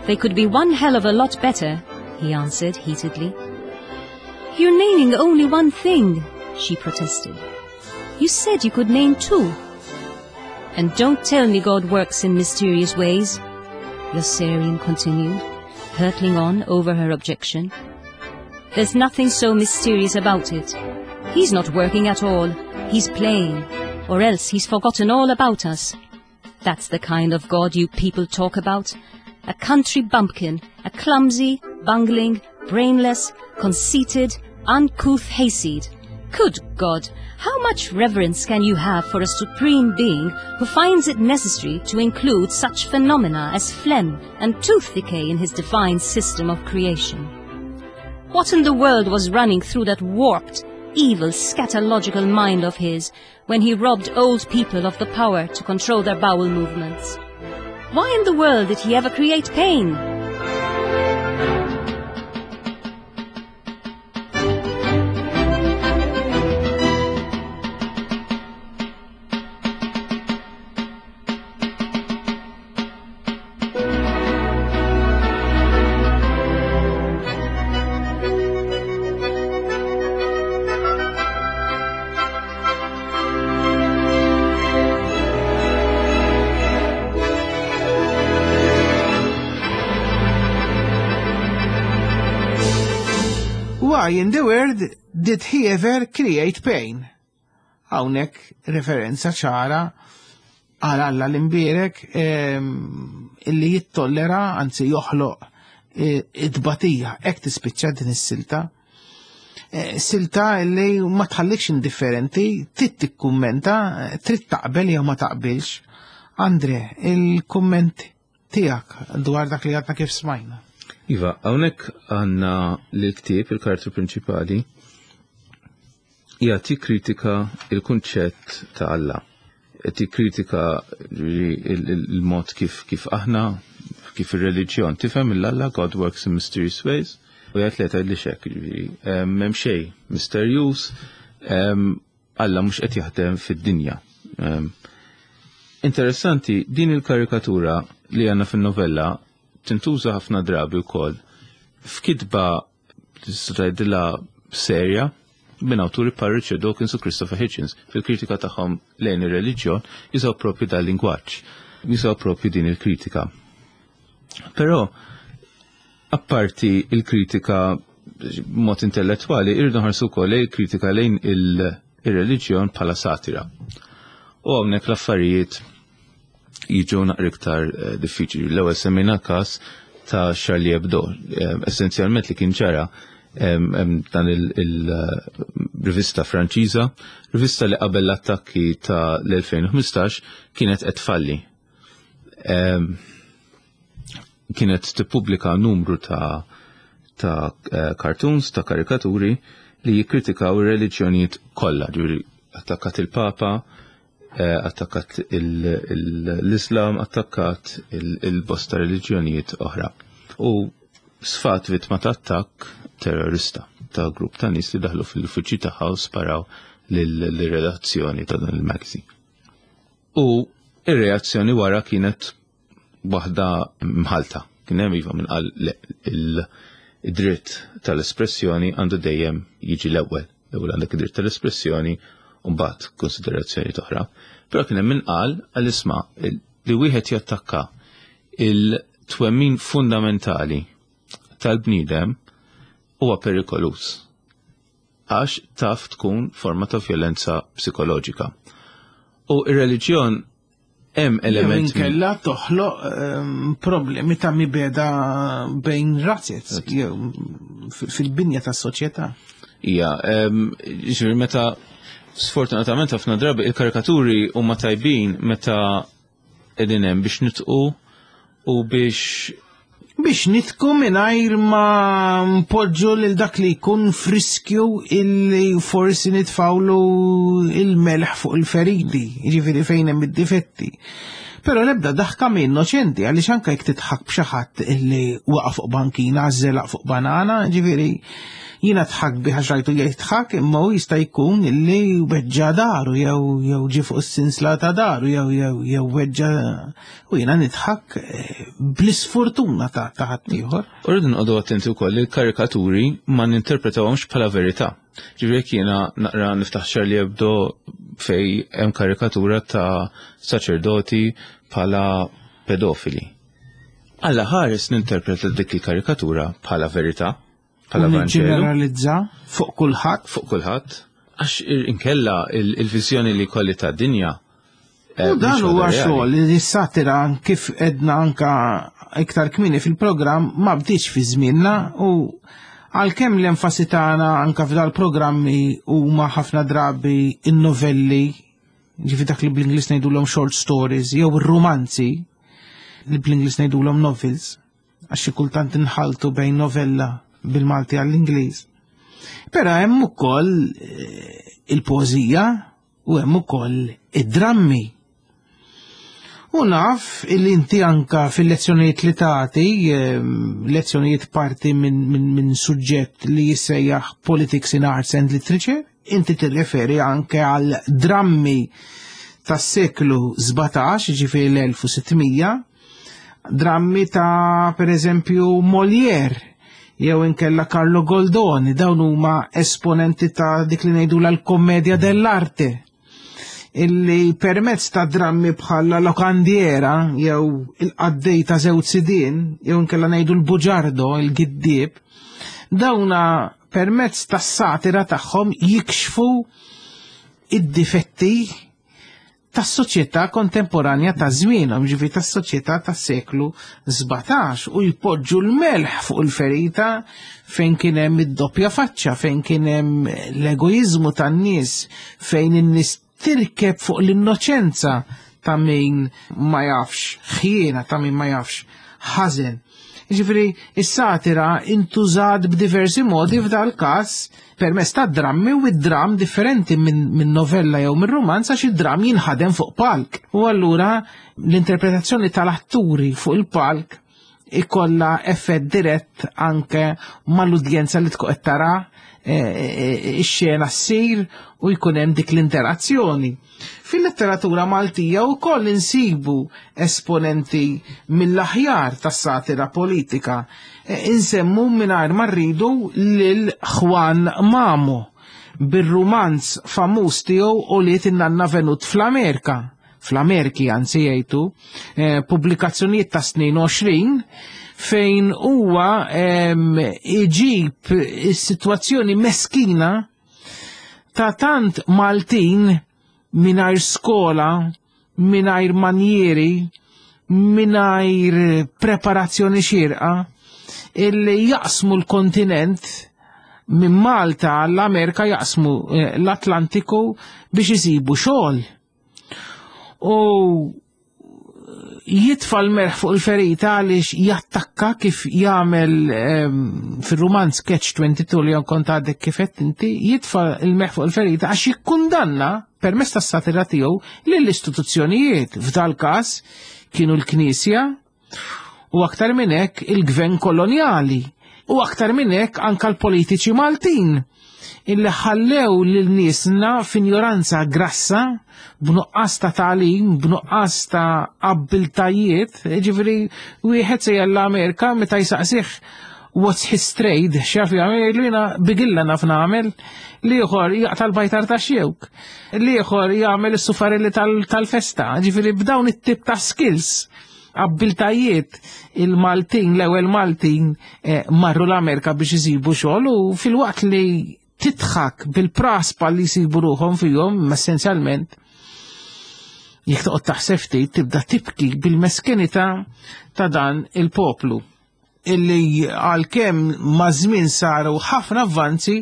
They could be one hell of a lot better, he answered heatedly. You're naming only one thing, she protested. You said you could name two. And don't tell me God works in mysterious ways, Yossarian continued, hurtling on over her objection. There's nothing so mysterious about it. He's not working at all. He's playing, or else he's forgotten all about us. That's the kind of God you people talk about. A country bumpkin, a clumsy, bungling, brainless, conceited, uncouth hayseed. Good God, how much reverence can you have for a supreme being who finds it necessary to include such phenomena as phlegm and tooth decay in his divine system of creation? What in the world was running through that warped, evil, scatological mind of his when he robbed old people of the power to control their bowel movements? Why in the world did he ever create pain? Why in the world did he ever create pain? Hawnhekk referenza ċara għal Alla l-imbierek ehm, illi jittollera, anzi joħloq e, it-tbatija, hekk tispiċċa din is-silta. E, silta illi ma tħallikx indifferenti, trid tikkummenta, trid taqbel jew ma taqbilx. Andre, il-kumment tiegħek dwar dak li għadna kif smajna. Iva, hawnhekk għandna l-ktieb, il-karattru prinċipali, jagħti kritika il-kunċett ta' Alla. Qed jikkritika il-mod kif kif aħna kif ir-reliġjon tifhem il-Alla God works in mysterious ways u jgħid li tgħidli xek, jiġifieri m'hemm xejn misterjuż, Alla mhux qed jaħdem fid-dinja. Interessanti, din il-karikatura li għandna fin-novella tintuża ħafna drabi wkoll f'kitba tista' tgħidilha serja minn awturi bħal Richard Dawkins u Christopher Hitchens fil-kritika tagħhom lejn ir-reliġjon jużaw propju dal lingwaġġ, jużaw propju din il-kritika. Però apparti il-kritika mod intellettwali, irridu nħarsu wkoll il-kritika lejn il-reliġjon bħala satira. U hawnhekk l-affarijiet jiġu naqra iktar eh, diffiċli. L-ewwel semmejna każ ta' Charlie Hebdo, eh, essenzjalment li kien ġara dan il-rivista Franċiża, rivista li qabel l-attakki ta' l-2015 kienet qed tfalli. Kienet tippubblika numru ta' ta' eh, cartoons, ta' karikaturi li jikkritikaw ir-reliġjonijiet kollha, ġifieri attakkat il-Papa, eh, attakkat l-Islam, attakkat il-bosta reliġjonijiet oħra. U sfat vittma ta' attakk terrorista ta' grupp ta' nies li daħlu fil-uffiċċju tagħha u sparaw lill-redazzjoni ta' dan il-magazine. U ir-reazzjoni wara kienet waħda mħalta. Kien hemm iva minn qal il-dritt tal-espressjoni għandu dejjem jiġi l-ewwel. L-ewwel għandek id-dritt tal-espressjoni u mbagħad konsiderazzjoni oħra. Però kien hemm min qal għal isma' li wieħed jattakka il-twemmin fundamentali tal-bniedem huwa perikoluż għax taf tkun forma ta' vjolenza psikoloġika. U ir-reliġjon hemm element. Inkella toħloq ehm, problemi ta' mibeda bejn razzet jew fil-binja tas-soċjetà. Ija, ehm, ġifieri meta sfortunatament ħafna drabi il-karikaturi huma tajbin meta qegħdin hemm biex nitqu u biex biex nitku mingħajr ma npoġġu lil dak li jkun friskju illi forsi nitfawlu il-melħ fuq il-feriti, jiġifieri fejn hemm id-difetti. Però l-ebda daħka minn innoċenti għaliex anke jekk tidħak b'xi ħadd illi waqa' fuq bankina, żelaq fuq banana, ġifieri jiena tħak bi għax rajtu jgħid imma hu jista' jkun illi weġġa daru jew jew ġie fuq is-sinsla ta' daru jew jew jew weġġa u jiena nidħak eh, bl-isfortuna ta' ħaddieħor. U rridu nqogħdu attenti wkoll li l-karikaturi ma ninterpretawhomx bħala verità. Ġifieri jekk jiena naqra niftaħ Charlie Hebdo fej hemm karikatura ta' saċerdoti bħala pedofili. Alla ħares ninterpreta dik il-karikatura bħala verità, bħala Vanġelu. Ġeneralizza fuq kulħadd. Fuq kulħadd. Għax inkella il-viżjoni li kolli ta' dinja. Eh, u dan huwa xogħol li s-satira kif edna anka iktar kmini fil-programm ma bdiċ fi żmienna u għalkemm l-enfasi tagħna anka f'dal-programmi huma ħafna drabi in-novelli, ġifi dak li bl-Ingliż ngħidulhom short stories jew ir-rumanzi li bl-Ingliż ngħidulhom novels, għax xi kultant inħaltu bejn novella bil-Malti għall-Ingliż. Però hemm ukoll eh, il-poeżija u hemm ukoll id-drammi. U naf illi inti anka fil-lezzjonijiet li tagħti, ehm, lezzjonijiet parti minn min, min suġġett li jissejjaħ Politics in Arts and Literature, inti tirreferi anke għal drammi tas-seklu 17, ġifieri l-1600, drammi ta' per eżempju Molière jew inkella Carlo Goldoni, dawn huma esponenti ta' dik li ngħidu l-kommedja dell'arte illi permezz ta' drammi bħala lokandiera jew il-qaddej ta' żewġ sidien jew inkella ngħidu l-buġardo, il-giddieb, dawna permezz tas-satira tagħhom jikxfu id-difetti tas-soċjetà kontemporanja ta' żmienhom, ġifi tas-soċjetà tas-seklu 17 u jpoġġu l-melħ fuq il-ferita fejn kien hemm id-doppja faċċa, fejn kien hemm l-egoiżmu tan-nies, fejn in-nies tirkeb fuq l-innoċenza ta' min ma jafx ħjiena, ta' min ma jafx ħażen. Ġifri, is-satira intużat b'diversi modi f'dal każ permezz ta' drammi u id-dram differenti minn min novella jew minn romanz għax id-dram jinħadem fuq palk. U allura l-interpretazzjoni tal-atturi fuq il-palk ikolla effett dirett anke mal-udjenza li tkun qed tara eh, eh, ix-xena ssir u jkun hemm dik l-interazzjoni. Fil-letteratura Maltija wkoll insibu esponenti mill-aħjar tas-satira politika. E, insemmu mingħajr ma rridu lil Juan Mamo bir-rumanz famuż tiegħu u li in-nanna Venut fl-Amerika fl-Amerki anzi jgħidu, e, pubblikazzjonijiet ta' snin 20 fejn huwa iġib is-sitwazzjoni meskina ta' tant Maltin mingħajr skola, mingħajr manjieri, mingħajr preparazzjoni xierqa, illi jaqsmu l-kontinent minn Malta għall-Amerika jaqsmu eh, l-Atlantiku biex isibu xogħol. U jitfa l-merħ fuq il-ferita għaliex jattakka kif jagħmel ehm, fir-rumanz Catch 22 li kont għadek kif qed inti, jitfa l-merħ fuq il-ferita għax jikkundanna permezz tas-satira tiegħu lill-istituzzjonijiet f'dal każ kienu l-Knisja u aktar minn hekk il-gvern kolonjali u aktar minn hekk anka l-politiċi Maltin illi ħallew lil niesna f'injoranza grassa b'nuqqas ta' tagħlim, b'nuqqas ta' abbiltajiet, ġifieri wieħed se l-Amerika meta jsaqsih what's his trade, x'jaf jagħmel jgħidlu jiena bigilla naf nagħmel, l-ieħor jaqta' l-bajtar ta' xewk, l-ieħor jagħmel is-sufarelli tal-festa, ġifieri b'dawn it-tip ta' skills abbiltajiet il-Maltin, l-ewwel Maltin eh, marru l-Amerika biex isibu xogħol u fil-waqt li titħak bil-praspa li jsibu ruħhom fihom, essenzjalment jekk toqgħod taħseb ftit tibda tibki bil-meskenità ta' dan il-poplu illi għalkemm ma' żmien saru ħafna avvanzi,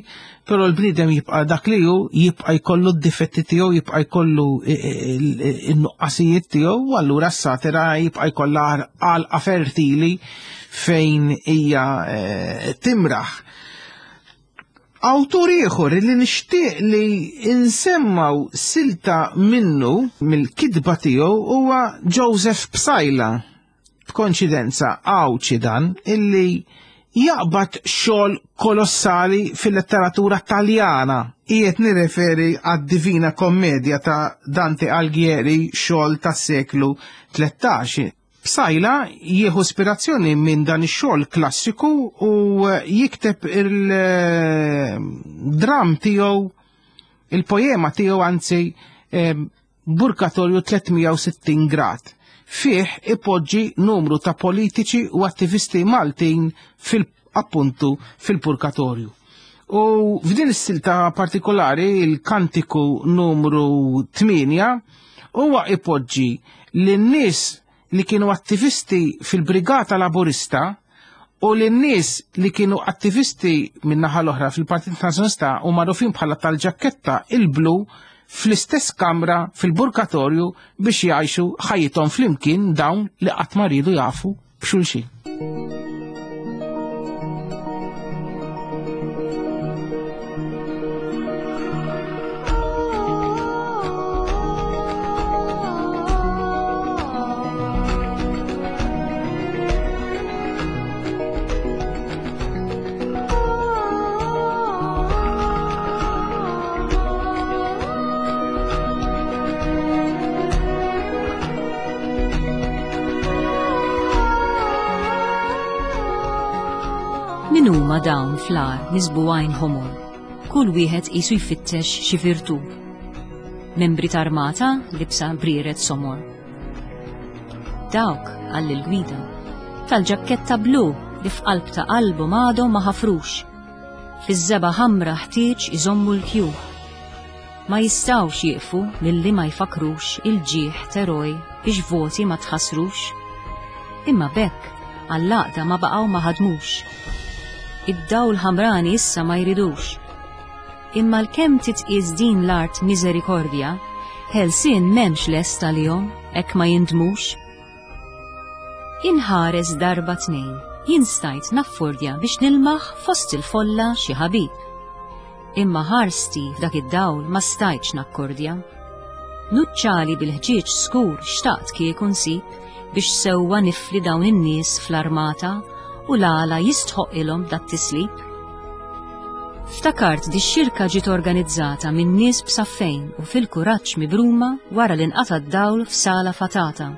però l-bniedem jibqa' dak li hu, jibqa' jkollu d-difetti tiegħu, jibqa' jkollu n-nuqqasijiet tiegħu, u allura s-satira jibqa' jkollha għalqa fertili fejn hija eh, timraħ. Awtur ieħor li nixtieq li nsemmaw silta minnu mill-kitba tiegħu huwa Joseph Psaila. B'konċidenza Għawdxi dan illi jaqbad xogħol kolossali fil-letteratura Taljana. Qiegħed nirreferi għad-Divina Commedia ta' Dante Alighieri, xogħol tas-seklu 13. Psaila jieħu ispirazzjoni minn dan ix-xogħol klassiku u jikteb il-dramm tiegħu, il-poema tiegħu anzi, Burkatorju 360 grad. Fih ipoġġi numru ta' politiċi u attivisti Maltin fil-appuntu fil-purkatorju. U f'din is-silta partikolari il-kantiku numru 8 huwa ipoġġi lin-nies li kienu attivisti fil-Brigata Laburista u lin-nies li kienu attivisti min-naħa l-oħra fil-Partit Nazzjonalista u magħrufin bħala tal-ġakketta il-blu fl-istess kamra fil-burkatorju biex jgħixu ħajjithom flimkien dawn li qatt ma riedu jafu b'xulxin. Min huma dawn fl-għar miżbugħin ħomor, kull wieħed qisu jfittex xi virtù. Membri t'armata libsa brieret somor. Dawk, qal il-gwida, tal-ġakketta blu li f'qalb ta' qalbhom għadhom ma ħafrux. Fiż-żebgħa ħamra ħtieġ iżommu l-kju. Ma jistgħux jieqfu milli ma jfakkrux il-ġieħ t'eroj biex voti ma tħassrux. Imma b'hekk għall-għaqda ma baqgħu ma ħadmux. Id-dawl ħamrani issa ma jridux. Imma l-kemm titqies din l-art miżerikordja, ħelsien m'hemmx lest għalihom hekk ma jindmux. Inħares darba tnejn, jien stajt naffordja biex nilmaħ fost il-folla xi ħabib. Imma ħarsti f'dak id-dawl ma stajtx nakkordja. Nuċċali bil-ħġieġ skur xtaqt kieku nsib biex sewwa nifli dawn in-nies fl-armata u l-għala jistħoqqilhom dat-tislib. Ftakart di xirka ġiet organizzata minn nies b'saffejn u fil-kuraġġ mibruma wara li nqata' d-dawl f'sala fatata.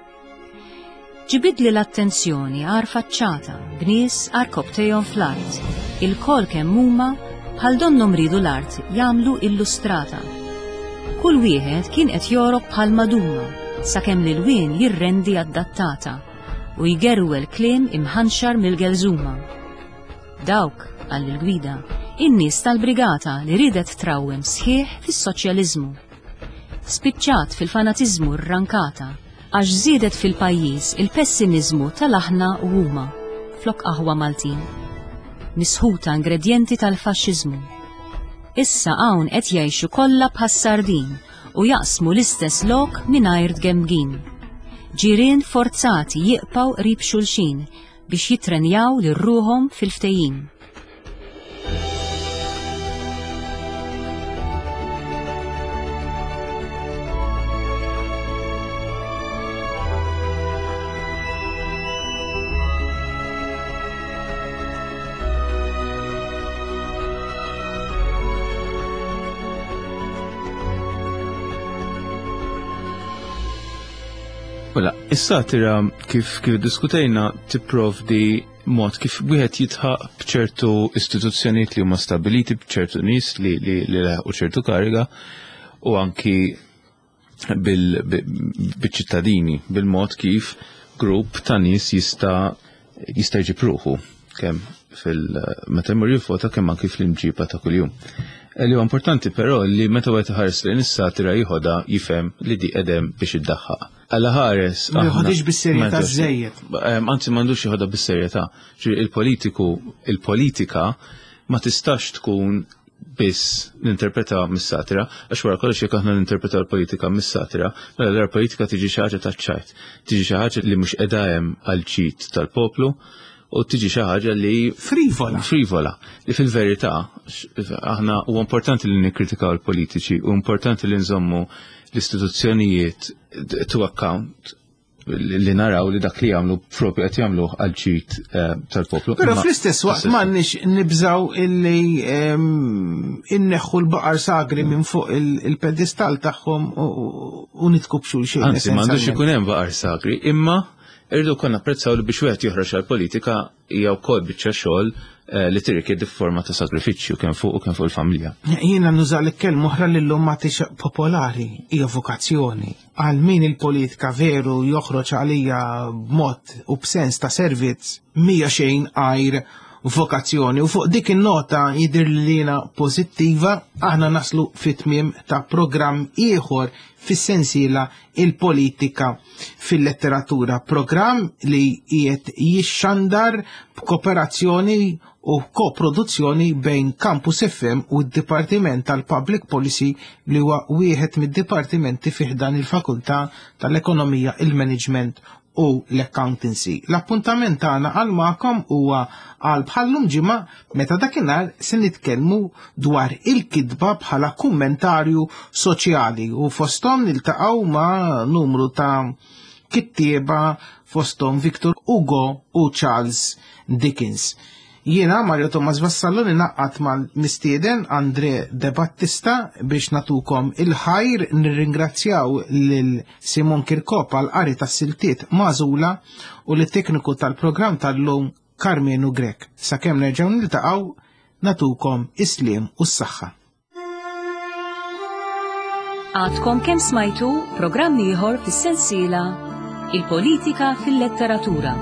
Ġibidli l-attenzjoni għar faċċata b'nies għarkopptejhom fl-art, ilkoll kemm huma bħal donnhom riedu l-art jagħmlu illustrata. Kull wieħed kien qed jogħrok bħal maduma sakemm l-ilwien jirrendi adattata u jgerwel kliem imħanxar mill-gelżuma. Dawk, qal il-gwida, in-nies tal-brigata li riedet trawwem sħiħ fis-soċjaliżmu. Spiċċat fil-fanatiżmu rrankata għax żiedet fil-pajjiż il-pessimiżmu tal-aħna u huma, flok aħwa Maltin. Misħuta ingredjenti tal-faxxiżmu. Issa hawn qed jgħixu kollha bħas-sardin u jaqsmu l-istess lok mingħajr tgemgim. Ġirien forzati jiqpaw qrib xulxin biex jittrenjaw lil ruħhom fil-ftehim. Mela, is-satira kif kif diskutejna tipprovdi mod kif wieħed jitħaq b'ċertu istituzzjonijiet li huma stabiliti b'ċertu nies li li li laħqu ċertu kariga u anki bil-ċittadini, bil-mod kif grupp ta' nies jista' jista' jġib ruħu kemm fil meta jmur jivvota kemm anki fl-imġiba ta' kuljum. Eh, li huwa importanti però li meta wieħed iħares lejn is-satira jieħodha jifhem li di qedem biex iddaħħaq. Alla ħares. Ma jħodix bis-serjetà żejjed. Anzi m'għandux jieħodha bis-serjetà. Il-politiku, il-politika ma tistax tkun biss ninterpreta mis-satira, għax wara kollox jekk aħna ninterpreta l-politika mis-satira, mela l politika tiġi xi ħaġa taċ-ċajt, tiġi xi ħaġa li mhux qiegħda hemm għal ġid tal-poplu u tiġi xi ħaġa li frivola. Frivola. Li fil-verità aħna huwa importanti li nikkritikaw il-politiċi u importanti li nżommu l-istituzzjonijiet to account li naraw li dak li jagħmlu propju qed jagħmluh għal ġid eh, tal-poplu. Però fl-istess waqt m'għandniex nibżaw illi ehm, inneħħu l-baqar sagri minn fuq il-pedestal tagħhom u nitku b'xulxin. Anzi, m'għandux ikun hemm baqar sagri, imma irridu konna apprezzaw li biex wieħed joħroġ għall-politika hija wkoll biċċa xogħol eh, li tirrikjedi forma ta' sagrifiċċju kemm fuq u kemm fuq il-familja. Jiena nuża l-kelma oħra li llum ma popolari hija vokazzjoni. Għal min il-politika veru joħroġ għalija b'mod u b'sens ta' servizz mija xejn għajr vokazzjoni u fuq dik in-nota jidher li jiena pożittiva aħna naslu fit-tmiem ta' programm ieħor fis-sensiela il-politika fil-letteratura, programm li qiegħed jixxandar b'kooperazzjoni u koproduzzjoni bejn Campus FM u d-Dipartiment tal-Public Policy li huwa wieħed mid-dipartimenti fi ħdan il-Fakultà tal-Ekonomija, il-Management u l-Accountancy. L-appuntament tagħna għal magħkom huwa għal bħallum ġimgħa meta dakinhar se nitkellmu dwar il-kitba bħala kummentarju soċjali u fosthom niltaqgħu ma' numru ta' kittieba fosthom Victor Hugo u Charles Dickens. Jiena Mario Thomas Vassallo ninaqqat mal-mistieden Andre De Battista biex natukom il-ħajr nirringrazzjaw lil Simon Kirkop għal qari tas-siltiet magħżula u lit-tekniku tal-programm tal-lum Karmenu Grech. Sakemm nerġgħu niltaqgħu natukom is-sliem u s-saħħa. Għadkom kemm smajtu programm ieħor fis-sensiela Il-Politika fil-Letteratura.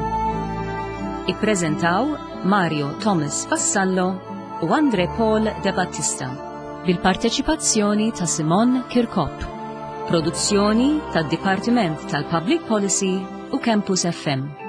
Ippreżentaw Mario Thomas Vassallo u Andre Paul De Battista bil-parteċipazzjoni ta' Simon Kirkop. Produzzjoni tad-Dipartiment tal-Public Policy u Campus FM.